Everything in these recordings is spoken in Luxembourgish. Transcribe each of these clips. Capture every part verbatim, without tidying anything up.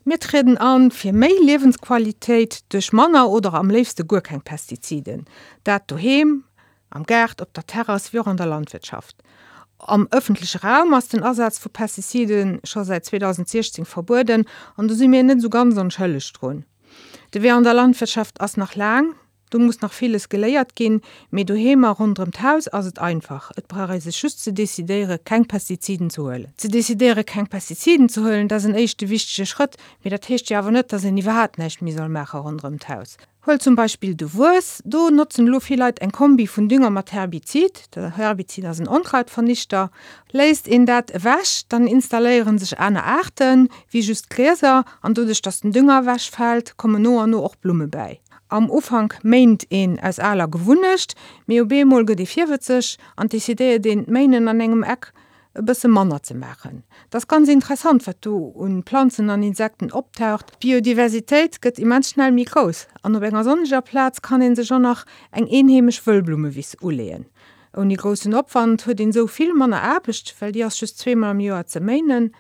Mir trieden an fir méi Liewensqualitéit duerch manner oder am léifste guer keng Pestiziden. Dat doheem, am Gaart, op der Terrass wéi och an der Landwirtschaft. Am ëffentleche Raum ass den Asaz vu Pestizide scho säit zweedausentsiechzéng verbueden an do si mir net esou ganz onschëlleg drun. De Wee an der Landwirtschaft ass nach laang, do muss nach villes geléiert ginn, mee doheem a ronderëm d'Haus ass et einfach, et brauch ee sech just ze decidéiere keng Pestiziden ze huelen. Ze decidéiere keng Pestiziden ze huelen, dat ass en éischte wichtege Schrëtt, mee dat heescht jo awer net, datt een iwwerhaapt näischt méi soll maache ronderëm d'Haus. Huel zum Beispill de Wues, do notzen elo vill Leit eng Kombi vun Dünger mat Herbizid. De Herbizid ass en Onkrautvernichter. Léisst een dat ewech, dann installéiere sech aner Aarten, wéi just Grieser, an doduerch dass den Dünger ewech fält, kommen no an no och Blumme bäi. Am Ufank méint een aus aler Gewunnecht, mee op eemol gëtt ee virwëtzeg an decidéiert een d'Méinen an engem Eck e bësse manner ze maachen. Et ass ganz interessant, wat do un Planzen an Insekten optaucht. D'Biodiversitéit gëtt immens schnell méi grouss an op enger sonneger Plaz kann ee sech och nach eng eenheemesch Wëllblummewiss uleeën. Ouni groussen Opwand huet een esou vill manner Aarbecht, well déi ass just zweemol am Joer ze méinen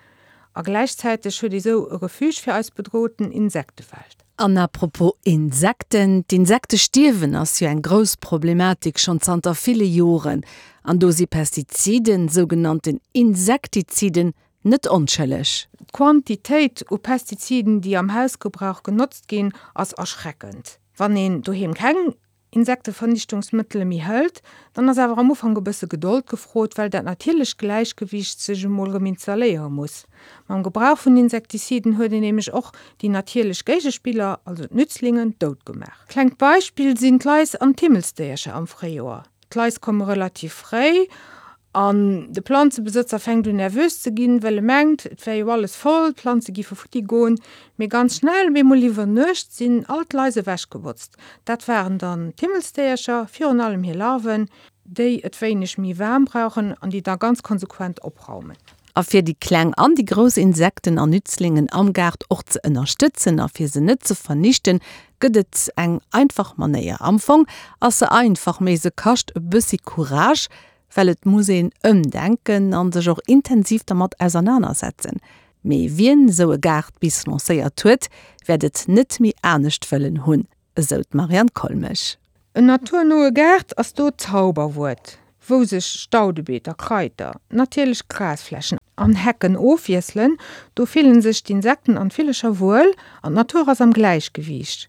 a gläichzäiteg huet ee sou e Refuge fir eis bedrohten Insektewelt. An à propos Insekten, D'Insektestierwen ass jo eng grouss Problematik schonn zanter ville Joren. An do si Pestiziden, sougenannten Insektiziden, net onschëlleg. D'Quantitéit u Pestiziden, déi am Hausgebrauch genotzt ginn, ass erschreckend. Wann een doheem keng Insektevernichtungsmëttele méi hëlt, dann ass awer am Ufank e bësse Gedold gefrot, well dat natierlecht Gläichgewiicht sech emol erëm installéiere muss. Mam Gebrauch vun Insektiziden huet een nämlech och déi natierlech Géigespiller, also d'Nützlingen, dout gemaach. Klengt Beispill sinn d'Lais an d'Himmelsdéiercher am Fréijoer. D'Lais komme relativ fréi an de Planzebesëtzer fänkt un nervös ze ginn, well e mengt, et wär jo alles voll, d'Planze giffe futti goen. Mee ganz schnell, op eemol iwwer Nuecht, sinn all d'Lais ewechgebotzt. Dat waren dann d'Himmelsdéiercher, virun allem hir Larven, déi et wéineg méi waarm brauchen an déi da ganz konsequent opraumen. A fir déi kleng an déi grouss Insekten an Nützlingen am Gaart och ze ënnerstëtzen a fir se net ze vernichten, gëtt et eng einfach Manéier. Am Fong ass se einfach, mee se kascht e bëssi Courage, well et muss een ëmdenken a sech och intensiv dermat ausernanersetzen. Mee wien esou e Gaart bis lancéiert huet, wäert et net méi anescht wëllen hunn, esou d'Marianne Kollmich. En naturnoe Gaart ass do d'Zauberwuert, wou sech Staudebeeter, Kraiter, natierlech Grasflächen an Hecken ofwiesselen. Do fillen sech d'Insekten an d'Villercher wuel an d'Natur ass am Gläichgewiicht.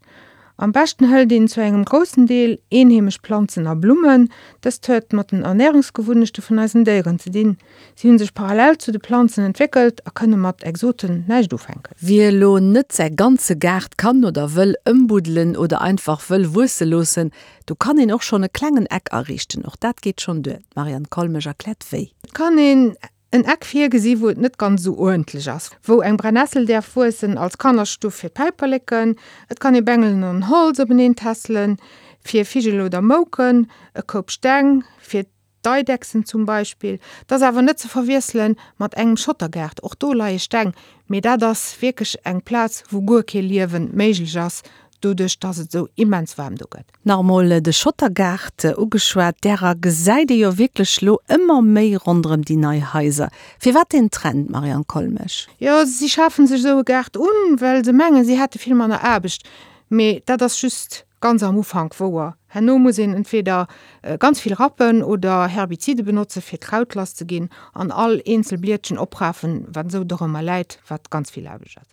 Am beschten hëlt een zu engem groussen Deel eenheemesch Planzen a Blummen. Dëst huet mat den Ernärungsgewunnechte vun eisen Déieren ze dinn. Si hunn sech parallel zu de Planzen entwéckelt a kënne mat Exoten näischt ufänken. Wie elo net säi ganze Gaart kann oder wëll ëmbuddelen oder einfach wëll wuesse loossen, do kann een och schonn e klengen Eck ariichten. Och dat geet schonn duer. D'Marianne Kollmich erkläert wéi. Et kann een en Eck virgesi wou et net ganz esou uerdentlech ass, wou eng Brennessel däerf wuessen als Kannerstuff fir d'Päiperleken. Et kann ee Bengelen an Holz openeen tässelen, fir Vigel oder Mouken, e Koup Steng fir d'Eidechsen zum Beispill. Et ass awer net ze verwiessele mat engem Schottergaart, och do leie Steng, mee dat ass wierklech eng Plaz, wou guer kee Liewen méiglech ass, doduerch dass et esou immens waarm do gëtt. Nach emol de Schottergaart ugeschwat, därer gesäit ee jo wierklech lo ëmmer méi ronderëm déi nei Haiser. Firwat deen Trend, Marianne Kollmich? Jo, si schafen sech esou e Gaart un, well se mengen, si hätte vill manner Aarbecht. Mee dat ass just ganz am Ufank wouer. Herno muss een entweder ganz vill rappen oder Herbizide benotze fir d'Kraut lass ze ginn an all eenzel Blietchen oprafen, wat esou dorëmmer läit, wat ganz vill Aarbecht ass.